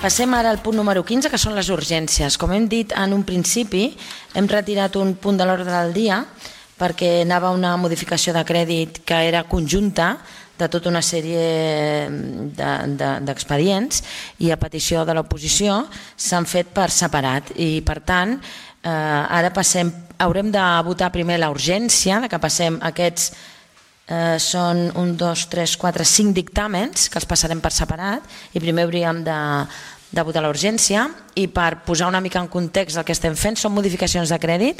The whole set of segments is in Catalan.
Passem ara al punt número 15, que són les urgències. Com hem dit en un principi, hem retirat un punt de l'ordre del dia perquè anava una modificació de crèdit que era conjunta de tota una sèrie d'expedients i a petició de l'oposició s'han fet per separat i per tant ara haurem de votar primer la urgència, que passem aquests són 1, 2, 3, 4, 5 dictàmens que els passarem per separat i primer hauríem de votar la urgència i per posar una mica en context el que estem fent són modificacions de crèdit.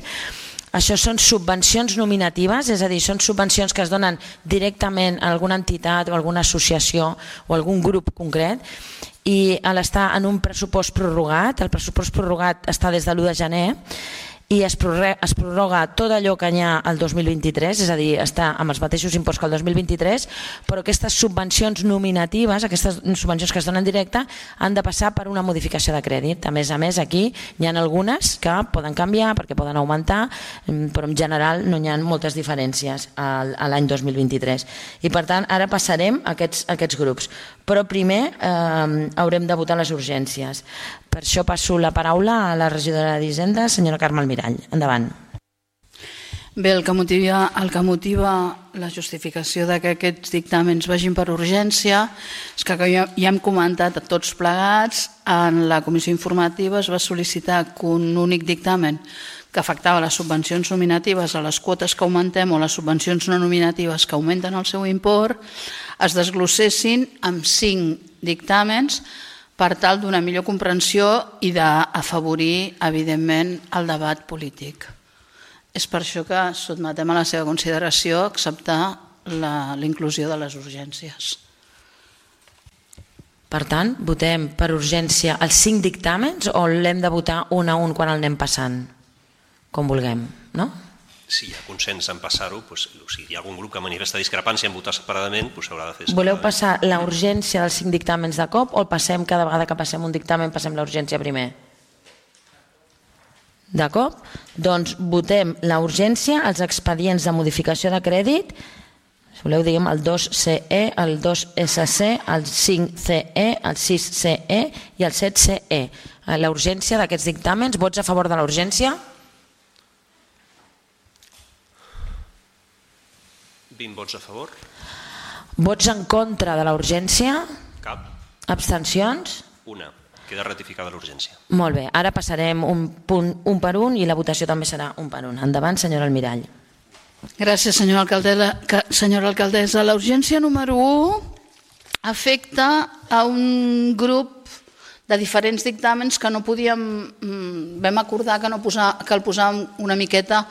Això són subvencions nominatives, és a dir, són subvencions que es donen directament a alguna entitat o alguna associació o algun grup concret i està en un pressupost prorrogat, el pressupost prorrogat està des de l'1 de gener i es prorroga tot allò que hi ha al 2023, és a dir, està amb els mateixos imports que el 2023, però aquestes subvencions nominatives, aquestes subvencions que es donen directe, han de passar per una modificació de crèdit. A més, aquí hi ha algunes que poden canviar perquè poden augmentar, però en general no hi ha moltes diferències a l'any 2023. I per tant, ara passarem a aquests grups. Però primer haurem de votar les urgències. Per això passo la paraula a la regidora d'Hisenda, senyora Carme Almirall. Endavant. Bé, el que motiva la justificació que aquests dictàmens vagin per urgència és que ja hem comentat a tots plegats, en la comissió informativa es va sol·licitar que un únic dictamen que afectava les subvencions nominatives a les quotes que augmentem o les subvencions no nominatives que augmenten el seu import es desglossessin amb 5 dictàmens per tal d'una millor comprensió i d'afavorir, evidentment, el debat polític. És per això que sotmetem a la seva consideració acceptar la inclusió de les urgències. Per tant, votem per urgència els 5 dictàmens o l'hem de votar un a un quan el anem passant? Com vulguem, no? Si hi ha consens en passar-ho, si hi ha algun grup que manifesta discrepància en votar separadament, s'haurà de fer separadament. Voleu passar la urgència dels 5 dictàmens de cop o el passem cada vegada que passem un dictamen, passem la urgència primer? De cop? Doncs votem la urgència, els expedients de modificació de crèdit, si voleu diguem el 2CE, el 2SC, el 5CE, el 6CE i el 7CE. La urgència d'aquests dictàmens, vots a favor de la urgència? 20 vots a favor. Vots en contra de la urgència? Cap. Abstencions? Una. Queda ratificada l'urgència. Molt bé, ara passarem un punt un per un i la votació també serà un per un. Endavant, senyora Almirall. Gràcies, senyora alcaldessa. La urgència número 1 afecta a un grup de diferents dictàmens que no podíem, vam acordar que el posàvem una miqueta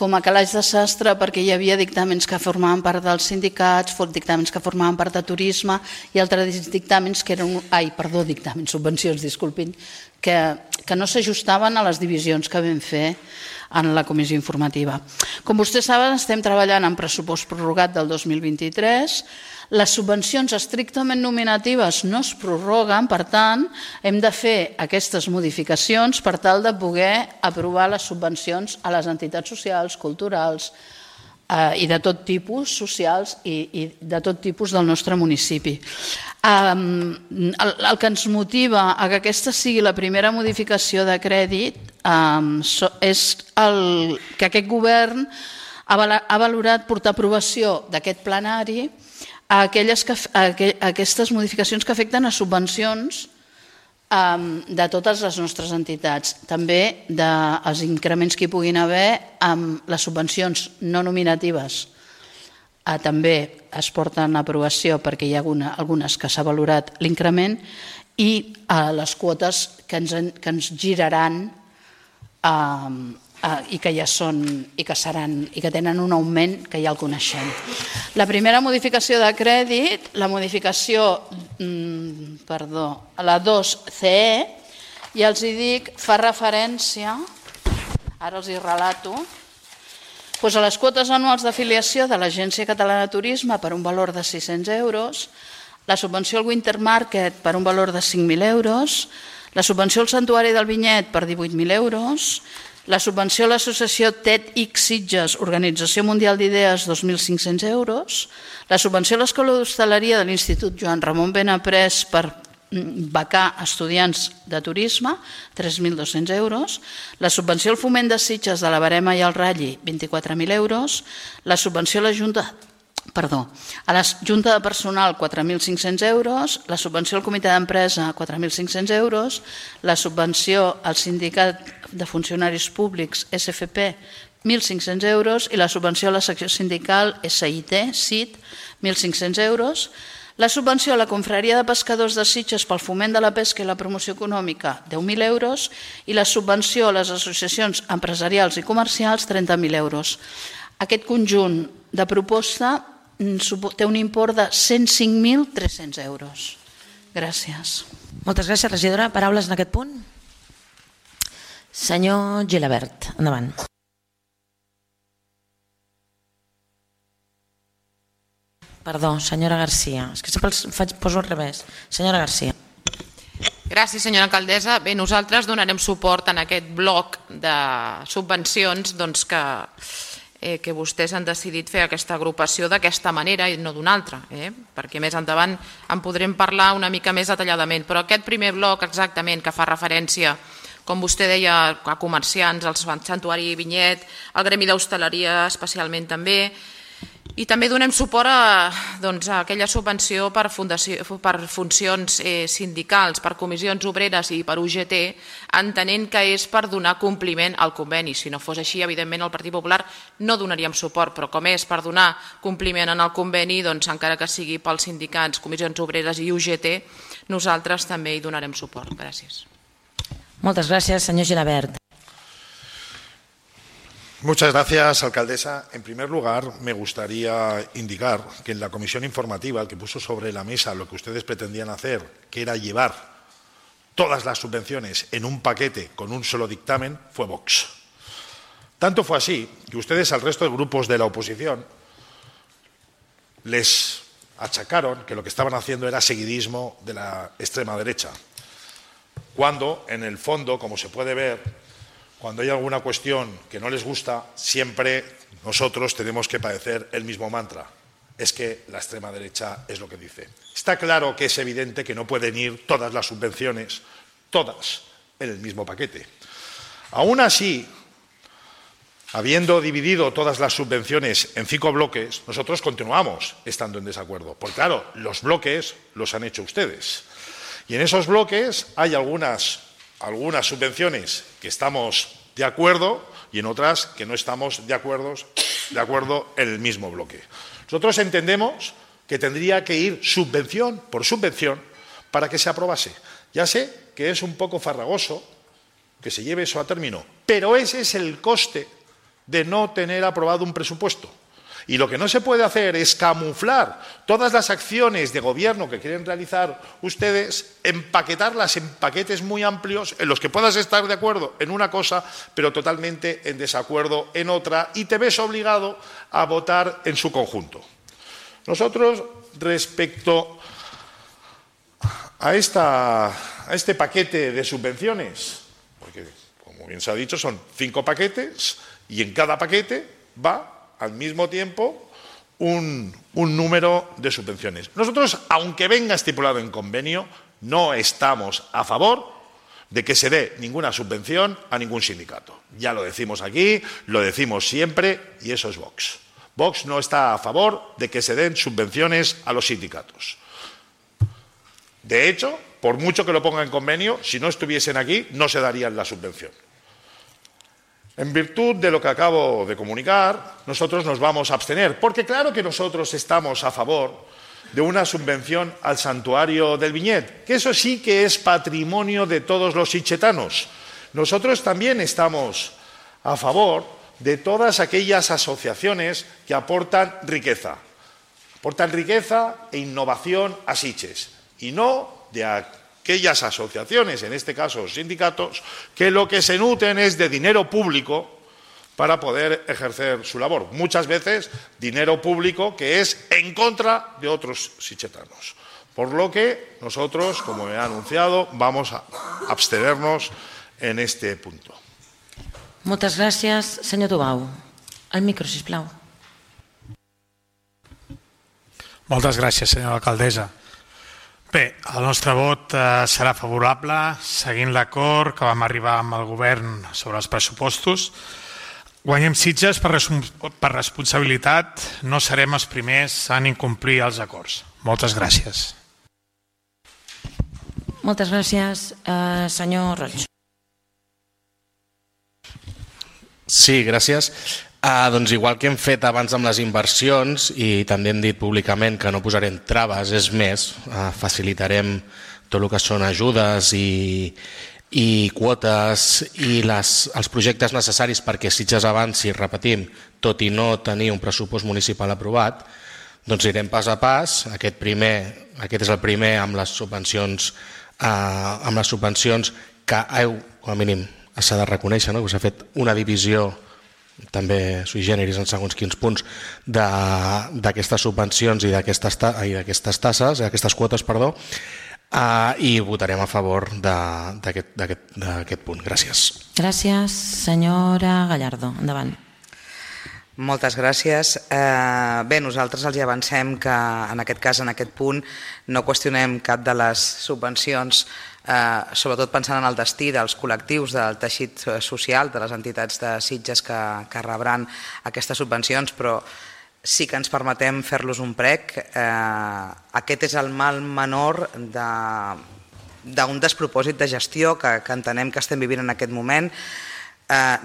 com a calaix de sastre perquè hi havia dictàmens que formaven part dels sindicats, dictàmens que formaven part de turisme i altres dictàmens que eren, subvencions, disculpin, que no s'ajustaven a les divisions que vam fer en la comissió informativa. Com vostès saben, estem treballant en pressupost prorrogat del 2023. Les subvencions estrictament nominatives no es prorroguen, per tant, hem de fer aquestes modificacions per tal de poder aprovar les subvencions a les entitats socials, culturals i de tot tipus, socials i de tot tipus del nostre municipi. El que ens motiva a que aquesta sigui la primera modificació de crèdit és que aquest govern ha valorat portar a aprovació d'aquest plenari aquestes modificacions que afecten a subvencions de totes les nostres entitats, també dels increments que hi puguin haver amb les subvencions no nominatives. També es porten a aprovació perquè hi ha algunes que s'ha valorat l'increment i les quotes que ens giraran i que ja són i que seran i que tenen un augment que ja el coneixem. La primera modificació de crèdit, la modificació, la 2CE, ja els hi dic, fa referència, ara els hi relato, a les quotes anuals d'afiliació de l'Agència Catalana de Turisme per un valor de 600 euros, la subvenció al Winter Market per un valor de 5.000 euros, la subvenció al Santuari del Vinyet per 18.000 euros, la subvenció a l'associació TEDx Sitges, Organització Mundial d'Idees, 2.500 euros, la subvenció a l'Escola d'Hostaleria de l'Institut Joan Ramon Benaprés per becar estudiants de turisme, 3.200 euros, la subvenció al foment de Sitges de la Verema i el Ralli, 24.000 euros, la subvenció a la Junta de Personal, 4.500 euros, la subvenció al Comitè d'Empresa, 4.500 euros, la subvenció al Sindicat de Funcionaris Públics, SFP, 1.500 euros, i la subvenció a la secció sindical SIT, 1.500 euros, la subvenció a la Confraria de Pescadors de Sitges pel foment de la pesca i la promoció econòmica, 10.000 euros, i la subvenció a les associacions empresarials i comercials, 30.000 euros. Aquest conjunt de proposta té un import de 105.300 euros. Gràcies. Moltes gràcies, regidora. Paraules en aquest punt? Senyor Gilabert, endavant. Perdó, senyora Garcia. És que sempre poso al revés. Senyora Garcia. Gràcies, senyora alcaldessa. Bé, nosaltres donarem suport en aquest bloc de subvencions que vostès han decidit fer aquesta agrupació d'aquesta manera i no d'una altra, perquè més endavant en podrem parlar una mica més detalladament. Però aquest primer bloc exactament que fa referència, com vostè deia, a comerciants, al Santuari Vinyet, al gremi d'hostaleria especialment també, i també donem suport a aquella subvenció per funcions sindicals, per comissions obreres i per UGT, entenent que és per donar compliment al conveni. Si no fos així, evidentment, el Partit Popular no donaríem suport, però com és per donar compliment al conveni, encara que sigui pels sindicats, comissions obreres i UGT, nosaltres també hi donarem suport. Gràcies. Moltes gràcies, senyor Gilabert. Muchas gracias, alcaldesa. En primer lugar, me gustaría indicar que en la comisión informativa, el que puso sobre la mesa lo que ustedes pretendían hacer, que era llevar todas las subvenciones en un paquete con un solo dictamen, fue Vox. Tanto fue así que ustedes al resto de grupos de la oposición les achacaron que lo que estaban haciendo era seguidismo de la extrema derecha, cuando en el fondo, como se puede ver, cuando hay alguna cuestión que no les gusta, siempre nosotros tenemos que padecer el mismo mantra. Es que la extrema derecha es lo que dice. Está claro que es evidente que no pueden ir todas las subvenciones, todas, en el mismo paquete. Aún así, habiendo dividido todas las subvenciones en 5 bloques, nosotros continuamos estando en desacuerdo. Porque claro, los bloques los han hecho ustedes. Y en esos bloques hay algunas subvenciones que estamos de acuerdo y en otras que no estamos de acuerdo en el mismo bloque. Nosotros entendemos que tendría que ir subvención por subvención para que se aprobase. Ya sé que es un poco farragoso que se lleve eso a término, pero ese es el coste de no tener aprobado un presupuesto. Y lo que no se puede hacer es camuflar todas las acciones de gobierno que quieren realizar ustedes, empaquetarlas en paquetes muy amplios en los que puedas estar de acuerdo en una cosa, pero totalmente en desacuerdo en otra, y te ves obligado a votar en su conjunto. Nosotros, respecto a este paquete de subvenciones, porque, como bien se ha dicho, son 5 paquetes y en cada paquete va al mismo tiempo un número de subvenciones. Nosotros, aunque venga estipulado en convenio, no estamos a favor de que se dé ninguna subvención a ningún sindicato. Ya lo decimos aquí, lo decimos siempre, y eso es Vox. Vox no está a favor de que se den subvenciones a los sindicatos. De hecho, por mucho que lo ponga en convenio, si no estuviesen aquí, no se darían la subvención. En virtud de lo que acabo de comunicar, nosotros nos vamos a abstener, porque claro que nosotros estamos a favor de una subvención al Santuario del Viñet, que eso sí que es patrimonio de todos los sitgetanos. Nosotros también estamos a favor de todas aquellas asociaciones que aportan riqueza e innovación a Sitges, y no de aquellas asociaciones, en este caso sindicatos, que lo que se nutren es de dinero público para poder ejercer su labor. Muchas veces dinero público que es en contra de otros sitgetanos. Por lo que nosotros, como he anunciado, vamos a abstenernos en este punto. Moltes gràcies. Senyor Tubau. El micro, sisplau. Moltes gràcies, senyora alcaldessa. Bé, el nostre vot serà favorable, seguint l'acord que vam arribar amb el govern sobre els pressupostos. Guanyem Sitges per responsabilitat, no serem els primers en incomplir els acords. Moltes gràcies. Moltes gràcies, senyor Roig. Sí, gràcies. Doncs igual que hem fet abans amb les inversions i també hem dit públicament que no posarem traves, és més, facilitarem tot el que són ajudes i quotes i els projectes necessaris perquè Sitges avanci, repetim, tot i no tenir un pressupost municipal aprovat, doncs irem pas a pas. Aquest és el primer amb les subvencions que com a mínim s'ha de reconèixer, que s'ha fet una divisió també sui generis en segons quins punts d'aquestes subvencions i d'aquestes tasses, aquestes quotes, perdó, i votarem a favor d'aquest punt. Gràcies. Gràcies, senyora Gallardo. Endavant. Moltes gràcies. Bé, nosaltres els avancem que en aquest cas, en aquest punt, no qüestionem cap de les subvencions, sobretot pensant en el destí dels col·lectius del teixit social, de les entitats de Sitges que rebran aquestes subvencions, però sí que ens permetem fer-los un prec. Aquest és el mal menor d'un despropòsit de gestió que entenem que estem vivint en aquest moment.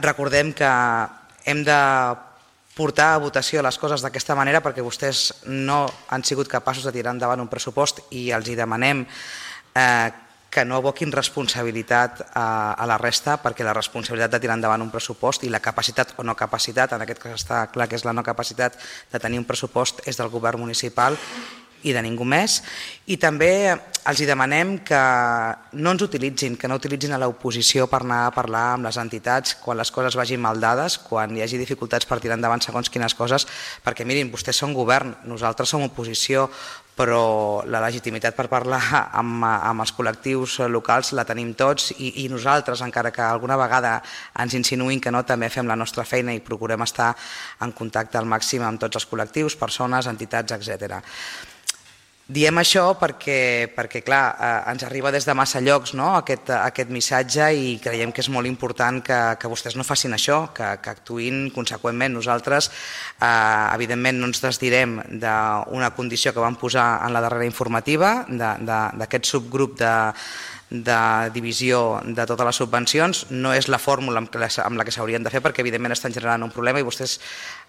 Recordem que hem de portar a votació les coses d'aquesta manera perquè vostès no han sigut capaços de tirar endavant un pressupost i els hi demanem que no aboquin responsabilitat a la resta, perquè la responsabilitat de tirar endavant un pressupost i la capacitat o no capacitat, en aquest cas està clar que és la no capacitat de tenir un pressupost, és del govern municipal i de ningú més. I també els demanem que no ens utilitzin, que no utilitzin a l'oposició per anar a parlar amb les entitats quan les coses vagin mal dades, quan hi hagi dificultats per tirar endavant segons quines coses, perquè mirin, vostès són govern, nosaltres som oposició, però la legitimitat per parlar amb els col·lectius locals la tenim tots i nosaltres, encara que alguna vegada ens insinuïn que no, també fem la nostra feina i procurem estar en contacte al màxim amb tots els col·lectius, persones, entitats, etc. Diem això perquè clar, ens arriba des de massa llocs aquest missatge i creiem que és molt important que vostès no facin això, que actuïn conseqüentment. Nosaltres, evidentment, no ens desdirem d'una condició que vam posar en la darrera informativa, d'aquest subgrup de divisió de totes les subvencions. No és la fórmula amb la que s'haurien de fer perquè evidentment estan generant un problema i vostès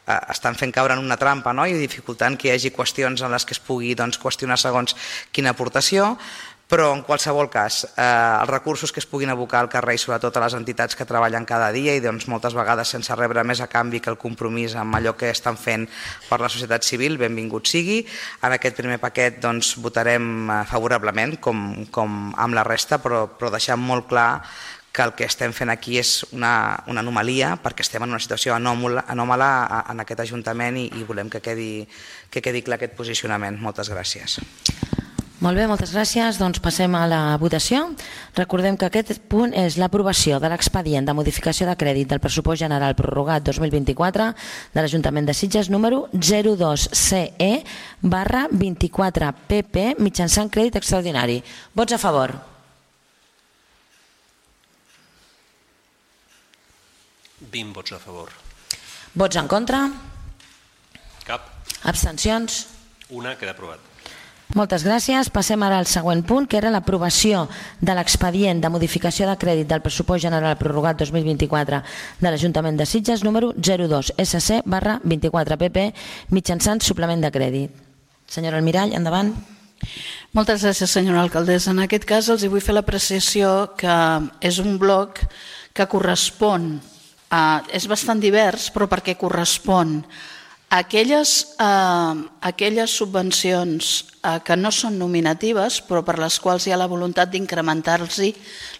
estan fent caure en una trampa i dificultant que hi hagi qüestions en les que es pugui qüestionar segons quina aportació, però en qualsevol cas els recursos que es puguin abocar al carrer i sobretot a les entitats que treballen cada dia i moltes vegades sense rebre més a canvi que el compromís amb allò que estan fent per la societat civil, benvingut sigui. En aquest primer paquet votarem favorablement com amb la resta, però deixant molt clar que el que estem fent aquí és una anomalia perquè estem en una situació anòmala en aquest Ajuntament i volem que quedi clar aquest posicionament. Moltes gràcies. Molt bé, moltes gràcies. Doncs passem a la votació. Recordem que aquest punt és l'aprovació de l'expedient de modificació de crèdit del pressupost general prorrogat 2024 de l'Ajuntament de Sitges número 02CE/24PP mitjançant crèdit extraordinari. Vots a favor? 20 vots a favor. Vots en contra? Cap. Abstencions? Una, queda aprovat. Moltes gràcies. Passem ara al següent punt, que era l'aprovació de l'expedient de modificació de crèdit del pressupost general prorrogat 2024 de l'Ajuntament de Sitges número 02SC/24PP mitjançant suplement de crèdit. Senyora Almirall, endavant. Moltes gràcies, senyora alcaldessa. En aquest cas els vull fer l'apreciació que és un bloc que correspon és bastant divers, però perquè correspon a aquelles subvencions que no són nominatives, però per les quals hi ha la voluntat d'incrementar-los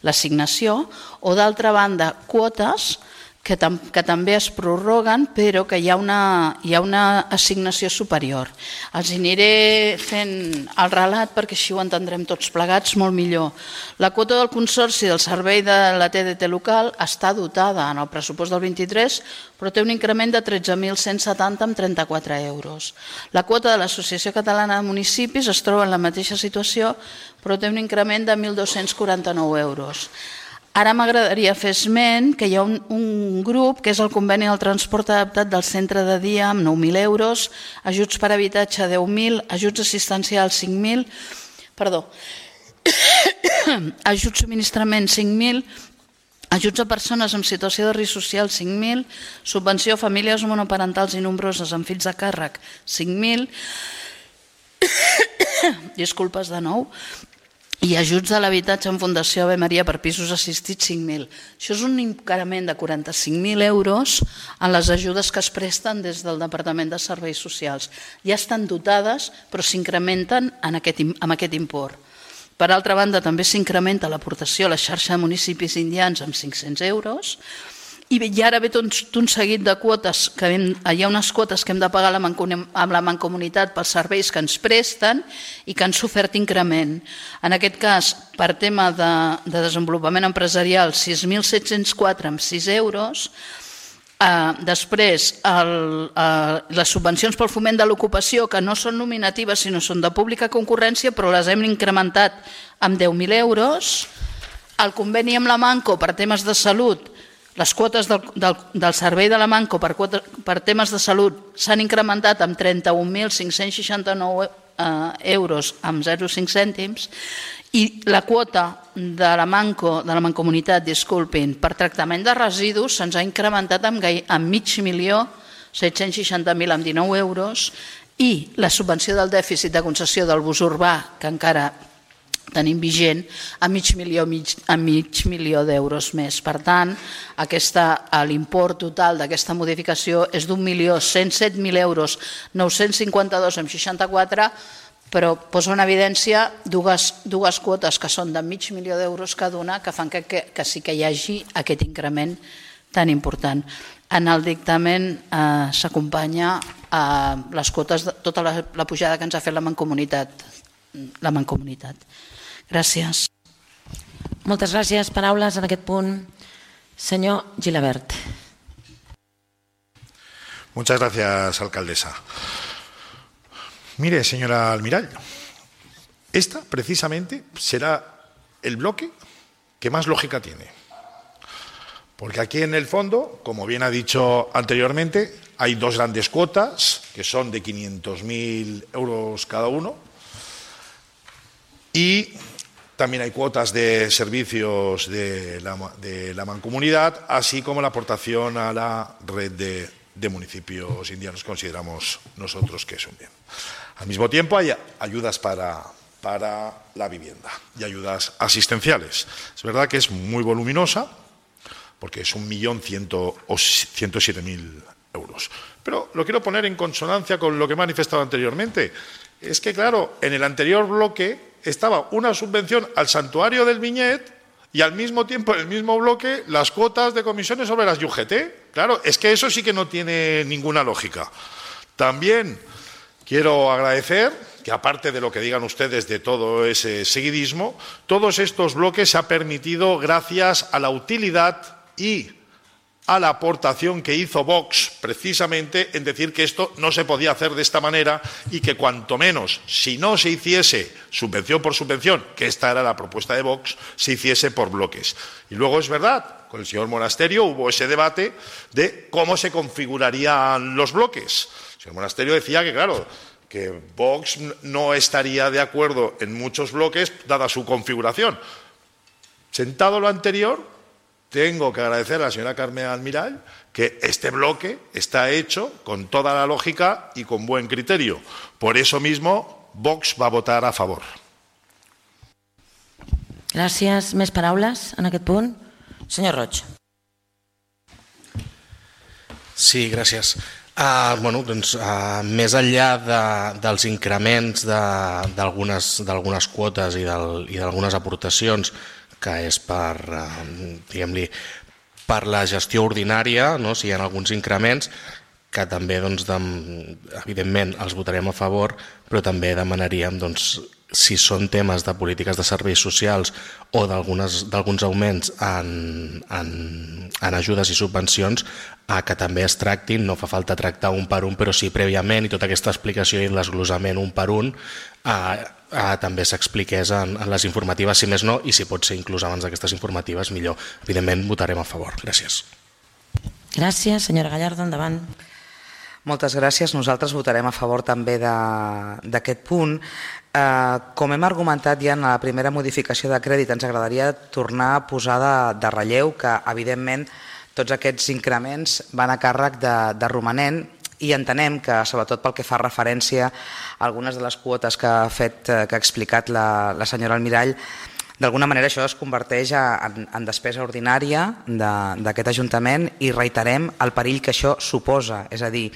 l'assignació, o d'altra banda, quotes que també es prorroguen, però que hi ha una assignació superior. Els aniré fent el relat perquè així ho entendrem tots plegats molt millor. La quota del Consorci del Servei de la TDT local està dotada en el pressupost del 23, però té un increment de 13.170 amb 34 euros. La quota de l'Associació Catalana de Municipis es troba en la mateixa situació, però té un increment de 1.249 euros. Ara m'agradaria fer esment que hi ha un grup, que és el conveni del transport adaptat del centre de dia amb 9.000 euros, ajuts per habitatge 10.000, ajuts assistencials 5.000, ajuts subministrament 5.000, ajuts a persones en situació de risc social 5.000, subvenció a famílies monoparentals i nombroses amb fills a càrrec 5.000, disculpes de nou, i ajuts a l'habitatge en Fundació Ave Maria per pisos assistits 5.000. Això és un increment de 45.000 euros en les ajudes que es presten des del Departament de Serveis Socials. Ja estan dotades, però s'incrementen amb aquest import. Per altra banda, també s'incrementa l'aportació a la xarxa de municipis indians amb 500 euros, i ara ve tot un seguit de quotes, hi ha unes quotes que hem de pagar amb la Mancomunitat pels serveis que ens presten i que han sofert increment. En aquest cas, per tema de desenvolupament empresarial, 6.704 amb 6 euros. Després, les subvencions pel foment de l'ocupació, que no són nominatives sinó són de pública concurrència, però les hem incrementat amb 10.000 euros. El conveni amb la Manco per temes de salut, les quotes del servei de la Manco per temes de salut s'han incrementat amb 31.569 euros amb 0,5 cèntims i la quota de la Mancomunitat, per tractament de residus se'ns ha incrementat amb 5.760.000 amb 19 euros i la subvenció del dèficit de concessió del bus urbà, que encara tenim vigent, a mig milió d'euros més. Per tant, l'import total d'aquesta modificació és d'1.107.000 euros, 952 amb 64, però posa en evidència dues quotes que són de mig milió d'euros cada una, que fan que sí que hi hagi aquest increment tan important. En el dictamen s'acompanya a les quotes, tota la pujada que ens ha fet la Mancomunitat. Gràcies. Moltes gràcies. Paraules en aquest punt. Senyor Gilabert. Muchas gracias, alcaldesa. Mire, señora Almirall, esta precisamente será el bloque que más lógica tiene. Porque aquí en el fondo, como bien ha dicho anteriormente, hay dos grandes cuotas que son de 500.000 euros cada uno y también hay cuotas de servicios de la Mancomunidad, así como la aportación a la red de municipios indianos que consideramos nosotros que es un bien. Al mismo tiempo hay ayudas para la vivienda y ayudas asistenciales. Es verdad que es muy voluminosa, porque es 1.107.000 euros. Pero lo quiero poner en consonancia con lo que he manifestado anteriormente. Es que, claro, en el anterior bloque estaba una subvención al Santuario del Viñet y al mismo tiempo, en el mismo bloque, las cuotas de comisiones sobre las UGT. Claro, es que eso sí que no tiene ninguna lógica. También quiero agradecer que, aparte de lo que digan ustedes de todo ese seguidismo, todos estos bloques se ha permitido gracias a la utilidad y a la aportación que hizo Vox precisamente en decir que esto no se podía hacer de esta manera y que cuanto menos, si no se hiciese subvención por subvención, que esta era la propuesta de Vox, se hiciese por bloques. Y luego es verdad, con el señor Monasterio hubo ese debate de cómo se configurarían los bloques. El señor Monasterio decía que, claro, que Vox no estaría de acuerdo en muchos bloques dada su configuración. Sentado lo anterior, tengo que agradecer a la señora Carmen Almirall que este bloque está hecho con toda la lógica y con buen criterio. Por eso mismo, Vox va a votar a favor. Gràcies. Més paraules en aquest punt? Senyor Roig. Sí, gràcies. Més enllà dels increments d'algunes quotes i d'algunes aportacions, que és per, diguem-li, per la gestió ordinària, si hi ha alguns increments, que també, evidentment, els votarem a favor, però també demanaríem, si són temes de polítiques de serveis socials o d'alguns augments en ajudes i subvencions, que també es tractin, no fa falta tractar un per un, però sí prèviament, i tota aquesta explicació i l'esglosament un per un també s'expliqués en les informatives, si més no, i si pot ser inclús abans d'aquestes informatives, millor. Evidentment, votarem a favor. Gràcies. Gràcies. Senyora Gallardo, endavant. Moltes gràcies. Nosaltres votarem a favor també d'aquest punt. Com hem argumentat ja en la primera modificació de crèdit, ens agradaria tornar a posar de relleu que, evidentment, tots aquests increments van a càrrec de romanent i entenem que, sobretot pel que fa referència a algunes de les quotes que ha explicat la senyora Almirall, d'alguna manera això es converteix en despesa ordinària d'aquest Ajuntament i reiterem el perill que això suposa, és a dir,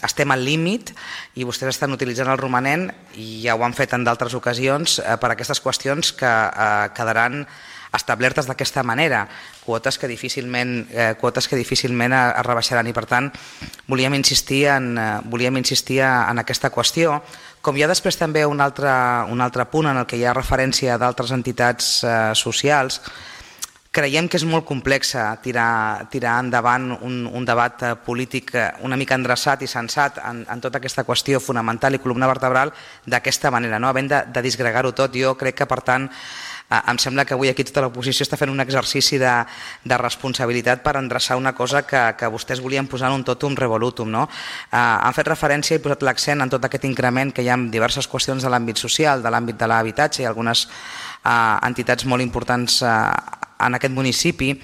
estem al límit i vostès estan utilitzant el romanent i ja ho han fet en d'altres ocasions per aquestes qüestions que quedaran establertes d'aquesta manera, quotes que difícilment es rebaixaran i per tant volíem insistir en aquesta qüestió. Com hi ha després també un altre punt en el que hi ha referència d'altres entitats socials, creiem que és molt complex tirar endavant un debat polític una mica endreçat i sensat en tota aquesta qüestió fonamental i columna vertebral d'aquesta manera, havent de disgregar-ho tot. Jo crec que, per tant, em sembla que avui aquí tota l'oposició està fent un exercici de responsabilitat per endreçar una cosa que vostès volien posar en un totum revolutum. Han fet referència i posat l'accent en tot aquest increment que hi ha en diverses qüestions de l'àmbit social, de l'àmbit de l'habitatge i algunes entitats molt importants en aquest municipi,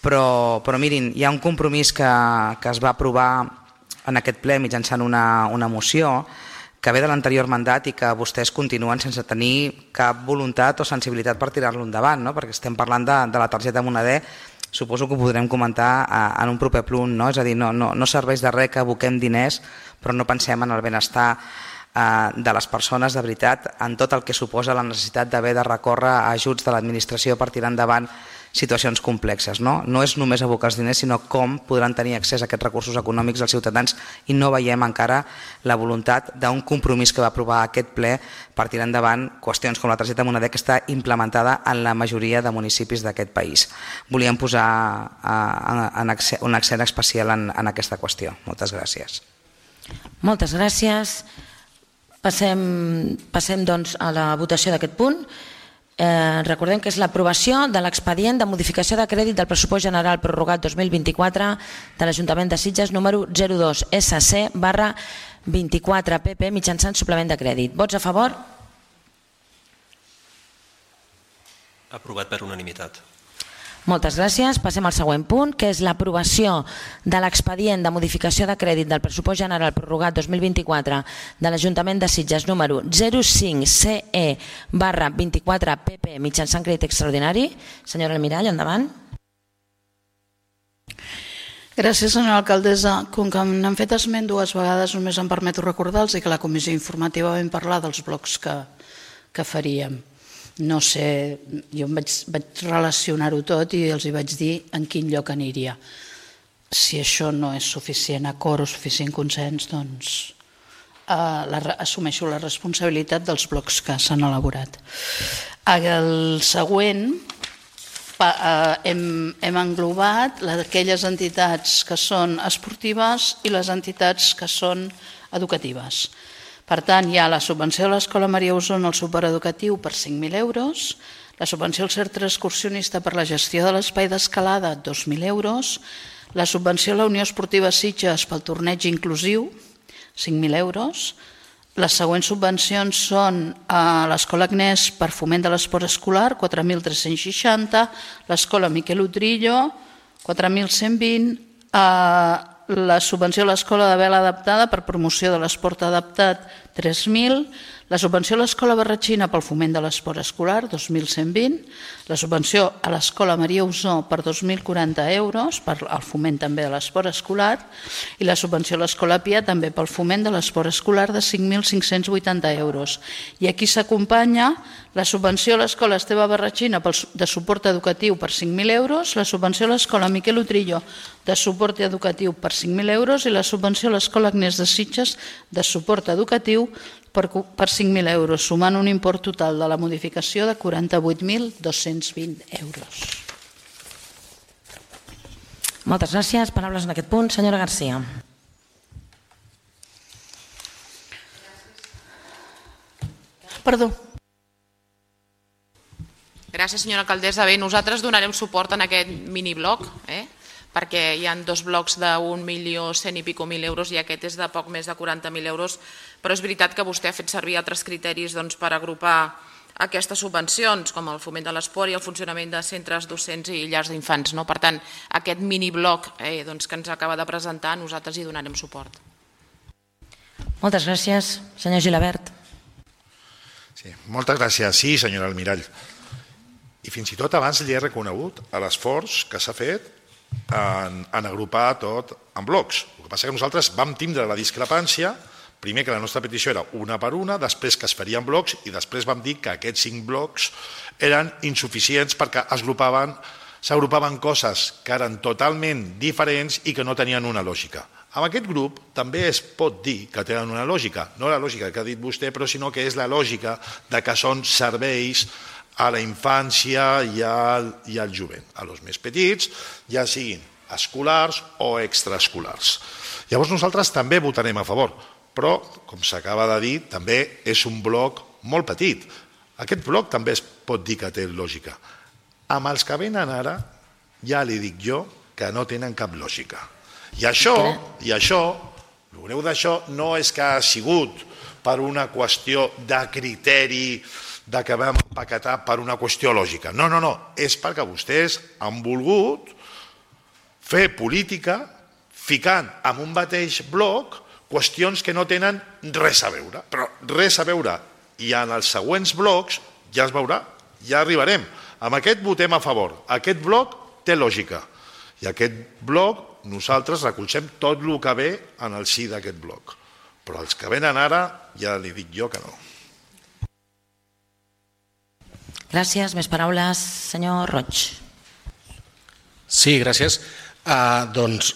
però mirin, hi ha un compromís que es va aprovar en aquest ple mitjançant una moció que ve de l'anterior mandat i que vostès continuen sense tenir cap voluntat o sensibilitat per tirar-lo endavant, perquè estem parlant de la targeta Moneder, suposo que ho podrem comentar en un proper punt, és a dir, no serveix de res que aboquem diners però no pensem en el benestar de les persones de veritat, en tot el que suposa la necessitat d'haver de recórrer a ajuts de l'administració per tirar endavant situacions complexes. No és només abocar els diners, sinó com podran tenir accés a aquests recursos econòmics els ciutadans i no veiem encara la voluntat d'un compromís que va aprovar aquest ple per tirar endavant qüestions com la targeta Moneder que està implementada en la majoria de municipis d'aquest país. Volíem posar un accent especial en aquesta qüestió. Moltes gràcies. Moltes gràcies. Passem doncs a la votació d'aquest punt. Recordem que és l'aprovació de l'expedient de modificació de crèdit del pressupost general prorrogat 2024 de l'Ajuntament de Sitges número 02 SC/24 PP mitjançant suplement de crèdit. Vots a favor? Aprovat per unanimitat. Moltes gràcies. Passem al següent punt, que és l'aprovació de l'expedient de modificació de crèdit del pressupost general prorrogat 2024 de l'Ajuntament de Sitges número 05 CE/24 PP mitjançant crèdit extraordinari. Senyora Almirall, endavant. Gràcies, senyora alcaldessa. Com que n'han fet esment dues vegades, només em permeto recordar-los que a la comissió informativa vam parlar dels blocs que faríem. No sé, jo vaig relacionar-ho tot i els hi vaig dir en quin lloc aniria. Si això no és suficient acord o suficient consens, doncs assumeixo la responsabilitat dels blocs que s'han elaborat. El següent hem englobat aquelles entitats que són esportives i les entitats que són educatives. Per tant, hi ha la subvenció a l'Escola Maria Osona al supereducatiu per 5.000 euros, la subvenció al centre excursionista per la gestió de l'espai d'escalada, 2.000 euros, la subvenció a la Unió Esportiva Sitges pel torneig inclusiu, 5.000 euros. Les següents subvencions són a l'Escola Agnès per foment de l'esport escolar, 4.360, l'Escola Miquel Utrillo, 4.120, la subvenció a l'Escola de Vela Adaptada per promoció de l'esport adaptat 3.000, la subvenció a l'Escola Barratxina pel foment de l'esport escolar, 2.120, la subvenció a l'Escola Maria Usó per 2.040 euros, per al foment també de l'esport escolar, i la subvenció a l'Escola Pia també pel foment de l'esport escolar de 5.580 euros. I aquí s'acompanya la subvenció a l'Escola Esteve Barratxina de suport educatiu per 5.000 euros, la subvenció a l'Escola Miquel Utrillo de suport educatiu per 5.000 euros i la subvenció a l'Escola Agnès de Sitges de suport educatiu per 5.000 euros, sumant un import total de la modificació de 48.220 euros. Moltes gràcies. Paraules en aquest punt. Senyora Garcia. Perdó. Gràcies, senyora alcaldessa. Bé, nosaltres donarem suport en aquest minibloc, perquè hi ha dos blocs d'1.100.000 i pico euros i aquest és de poc més de 40.000 euros, però és veritat que vostè ha fet servir altres criteris per agrupar aquestes subvencions, com el foment de l'esport i el funcionament de centres docents i llars d'infants. Per tant, aquest minibloc que ens acaba de presentar, nosaltres hi donarem suport. Moltes gràcies. Senyor Gilabert. Sí, moltes gràcies. Sí, senyora Almirall. I fins i tot abans li he reconegut l'esforç que s'ha fet en agrupar tot en blocs. El que passa que nosaltres vam tindre la discrepància, primer que la nostra petició era una per una, després que es farien blocs i després vam dir que aquests 5 blocs eren insuficients perquè s'agrupaven coses que eren totalment diferents i que no tenien una lògica. Amb aquest grup també es pot dir que tenen una lògica, no la lògica que ha dit vostè, però sinó que és la lògica de que són serveis a la infància i al jovent, a los més petits, ja siguin escolars o extraescolars. Llavors nosaltres també votarem a favor, però, com s'acaba de dir, també és un bloc molt petit. Aquest bloc també es pot dir que té lògica. Amb els que venen ara, ja li dic jo que no tenen cap lògica. I això, el greu d'això no és que ha sigut per una qüestió de criteri de que vam empaquetar per una qüestió lògica. No, és perquè vostès han volgut fer política ficant en un mateix bloc qüestions que no tenen res a veure, però res a veure. I en els següents blocs ja es veurà, ja arribarem. Amb aquest votem a favor. Aquest bloc té lògica. I aquest bloc nosaltres recolzem tot el que ve en el si d'aquest bloc. Però els que venen ara ja li dic jo que no. Gràcies. Més paraules. Senyor Roig. Sí, gràcies. Doncs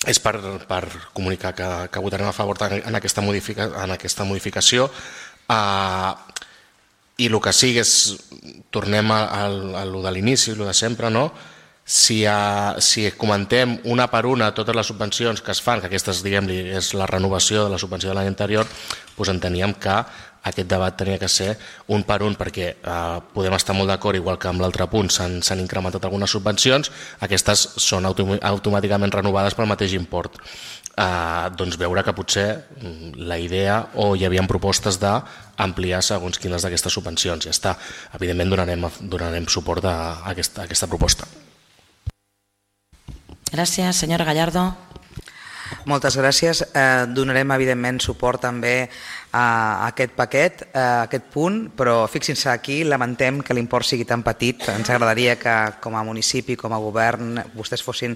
és per comunicar que votarem a favor en aquesta modificació i el que sigui és, tornem a lo de l'inici, lo de sempre, no? Si comentem una per una totes les subvencions que es fan, que aquestes, diguem-li, és la renovació de la subvenció de l'any anterior, doncs enteníem que aquest debat tenia que ser un per un, perquè podem estar molt d'acord, igual que amb l'altre punt s'han incrementat algunes subvencions, aquestes són automàticament renovades pel mateix import. Doncs veure que potser la idea o hi havia propostes d'ampliar segons quines d'aquestes subvencions. Ja està. Evidentment donarem suport a aquesta proposta. Gràcies. Senyora Gallardo. Moltes gràcies. Donarem evidentment suport també a aquest paquet, a aquest punt, però fixin-se aquí, lamentem que l'import sigui tan petit. Ens agradaria que com a municipi, com a govern, vostès fossin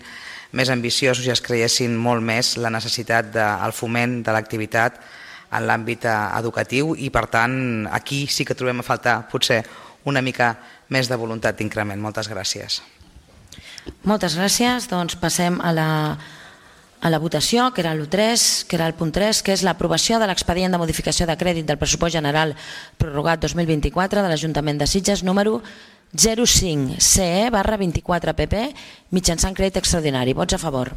més ambiciosos i es creiessin molt més la necessitat del foment de l'activitat en l'àmbit educatiu i per tant aquí sí que trobem a faltar potser una mica més de voluntat d'increment. Moltes gràcies. Moltes gràcies. Doncs passem a la votació, que era l'1.3, que era el punt 3, que és l'aprovació de l'expedient de modificació de crèdit del pressupost general prorrogat 2024 de l'Ajuntament de Sitges número 05 CE/24 PP mitjançant crèdit extraordinari. Vots a favor.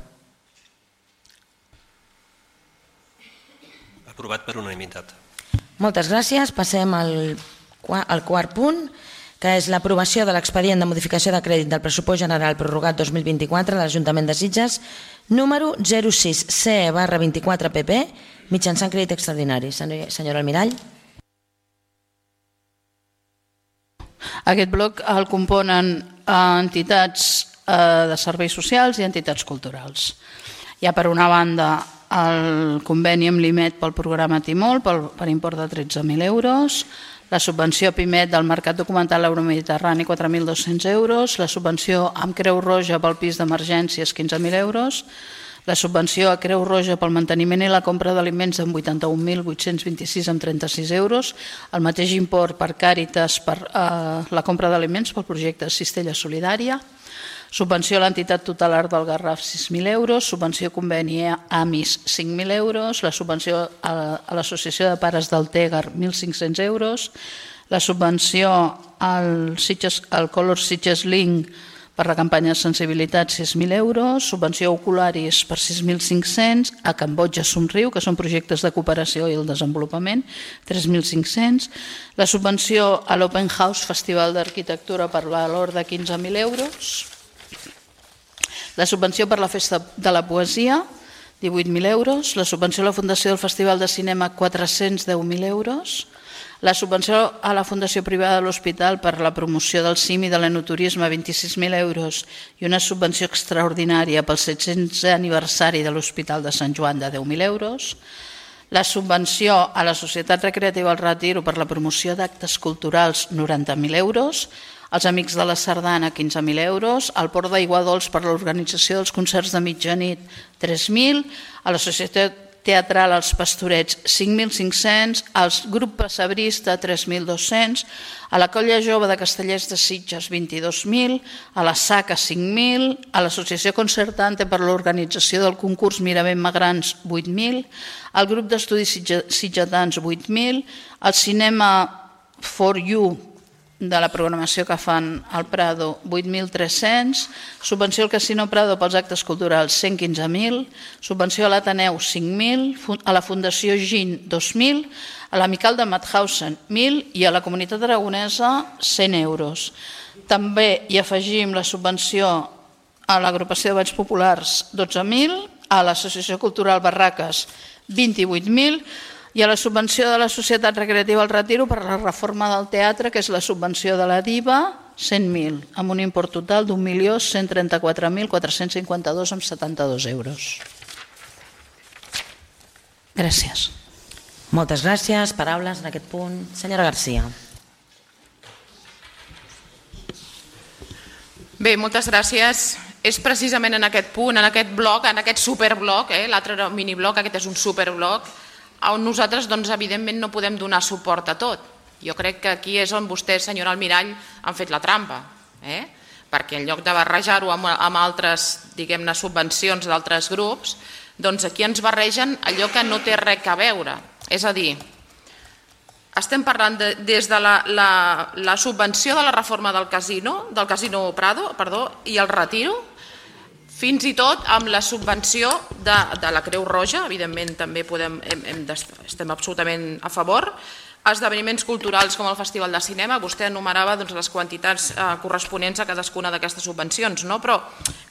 Aprovat per unanimitat. Moltes gràcies. Passem al quart punt, que és l'aprovació de l'expedient de modificació de crèdit del pressupost general prorrogat 2024 de l'Ajuntament de Sitges número 06 CE/24 PP mitjançant crèdit extraordinari. Senyora Almirall. Aquest bloc el componen entitats de serveis socials i entitats culturals. Hi ha per una banda el conveni amb l'IMET pel programa Timol per import de 13.000 euros, la subvenció a PIMET del Mercat Documental Euromediterrani 4.200 euros, la subvenció amb Creu Roja pel pis d'emergències 15.000 euros, la subvenció a Creu Roja pel manteniment i la compra d'aliments amb 81.826 amb 36 euros, el mateix import per Càritas per la compra d'aliments pel projecte Cistella Solidària, subvenció a l'entitat tutelar del Garraf 6.000 euros, subvenció a conveni AMIS 5.000 euros, la subvenció a l'Associació de Pares del Tègar 1.500 euros, la subvenció al Color Sitges Link per la campanya de sensibilitat 6.000 euros, subvenció a Ocularis per 6.500, a Cambodja Somriu, que són projectes de cooperació i el desenvolupament, 3.500, la subvenció a l'Open House Festival d'Arquitectura per valor de 15.000 euros, la subvenció per la Festa de la Poesia, 18.000 euros, la subvenció a la Fundació del Festival de Cinema, 410.000 euros, la subvenció a la Fundació Privada de l'Hospital per la promoció del CIM i de l'enoturisme, 26.000 euros, i una subvenció extraordinària pel 700è aniversari de l'Hospital de Sant Joan de 10.000 euros, la subvenció a la Societat Recreativa El Retiro per la promoció d'actes culturals, 90.000 euros, als Amics de la Sardana, 15.000 euros, al Port d'Aiguadols per l'organització dels concerts de mitjanit, 3.000, a la Societat Teatral als Pastorets, 5.500, al grup Passebrista, 3.200, a la Colla Jove de Castellers de Sitges, 22.000, a la SACA, 5.000, a l'Associació Concertante per l'organització del concurs Miravent Magrans, 8.000, al grup d'estudis sitgetans, 8.000, al Cinema For You de la programació que fan al Prado, 8.300, subvenció al Casino Prado pels actes culturals, 115.000, subvenció a l'Ateneu, 5.000, a la Fundació GIN, 2.000, a l'Amical de Mauthausen, 1.000 i a la Comunitat Aragonesa, 100 euros. També hi afegim la subvenció a l'Agrupació de Balls Populars, 12.000, a l'Associació Cultural Barraques, 28.000, i a la subvenció de la Societat Recreativa El Retiro per la reforma del teatre, que és la subvenció de la DIVA, 100.000, amb un import total d'1.134.452 amb 72 euros. Gràcies. Moltes gràcies. Paraules en aquest punt. Senyora Garcia. Bé, moltes gràcies. És precisament en aquest punt, en aquest bloc, en aquest superbloc, l'altre era un minibloc, aquest és un superbloc, on nosaltres, evidentment, no podem donar suport a tot. Jo crec que aquí és on vostès, senyora Almirall, han fet la trampa, perquè en lloc de barrejar-ho amb altres, diguem-ne, subvencions d'altres grups, doncs aquí ens barregen allò que no té res a veure. És a dir, estem parlant des de la subvenció de la reforma del Casino Prado i el Retiro, fins i tot amb la subvenció de la Creu Roja, evidentment també estem absolutament a favor, esdeveniments culturals com el Festival de Cinema, vostè enumerava les quantitats corresponents a cadascuna d'aquestes subvencions, però,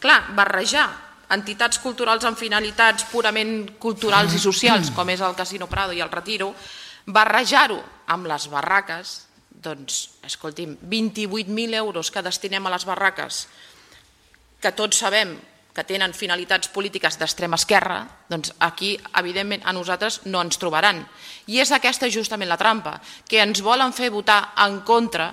clar, barrejar entitats culturals amb finalitats purament culturals i socials, com és el Casino Prado i el Retiro, barrejar-ho amb les barraques, doncs, escolti'm, 28.000 euros que destinem a les barraques, que tots sabem que tenen finalitats polítiques d'extrema esquerra, doncs aquí, evidentment, a nosaltres no ens trobaran. I és aquesta justament la trampa, que ens volen fer votar en contra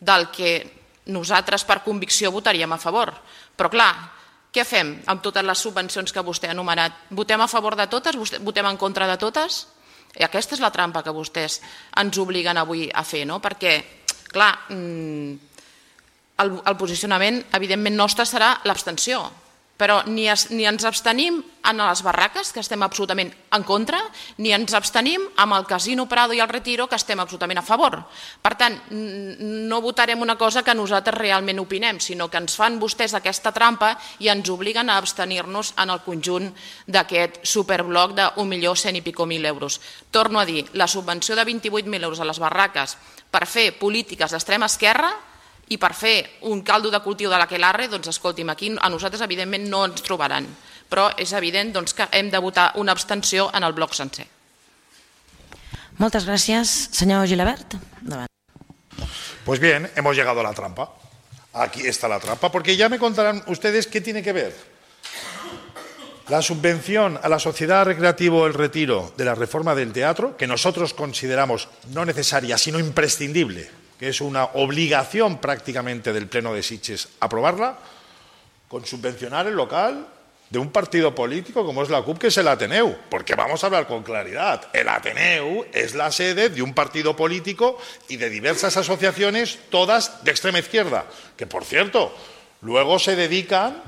del que nosaltres per convicció votaríem a favor. Però clar, què fem amb totes les subvencions que vostè ha enumerat? Votem a favor de totes? Votem en contra de totes? I aquesta és la trampa que vostès ens obliguen avui a fer, perquè, clar, el posicionament, evidentment, nostre serà l'abstenció, però ni ens abstenim en les barraques, que estem absolutament en contra, ni ens abstenim amb el Casino Prado i el Retiro, que estem absolutament a favor. Per tant, no votarem una cosa que nosaltres realment opinem, sinó que ens fan vostès aquesta trampa i ens obliguen a abstenir-nos en el conjunt d'aquest superbloc de 1.100.000 i pico euros. Torno a dir, la subvenció de 28.000 euros a les barraques per fer polítiques d'extrema esquerra i per fer un caldo de cultiu de l'aquelarre, doncs escolti'm, aquí a nosaltres evidentment no ens trobaran, però és evident que hem de votar una abstenció en el bloc sencer. Moltes gràcies. Senyor Gilabert. Pues bien, hemos llegado a la trampa. Aquí está la trampa, porque ya me contarán ustedes qué tiene que ver La subvención a la Sociedad Recreativo El Retiro de la reforma del teatro, que nosotros consideramos no necesaria, sino imprescindible, que es una obligación prácticamente del Pleno de Sitges aprobarla, con subvencionar el local de un partido político como es la CUP, que es el Ateneu, porque vamos a hablar con claridad, el Ateneu es la sede de un partido político y de diversas asociaciones, todas de extrema izquierda, que por cierto, luego se dedican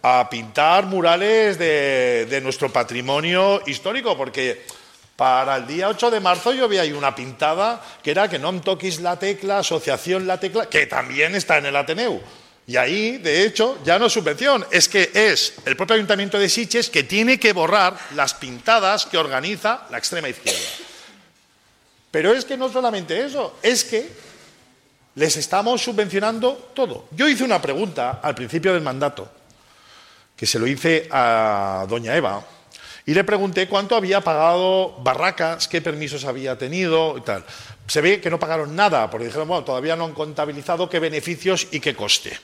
a pintar murales de nuestro patrimonio histórico, porque para el día 8 de marzo yo vi ahí una pintada que era que no em toquis la tecla, asociación La Tecla, que también está en el Ateneu. Y ahí, de hecho, ya no es subvención, es que es el propio Ayuntamiento de Sitges que tiene que borrar las pintadas que organiza la extrema izquierda. Pero es que no solamente eso, es que les estamos subvencionando todo. Yo hice una pregunta al principio del mandato, que se lo hice a doña Eva, y le pregunté cuánto había pagado Barracas, qué permisos había tenido y tal. Se ve que no pagaron nada, porque dijeron, bueno, todavía no han contabilizado qué beneficios y qué coste.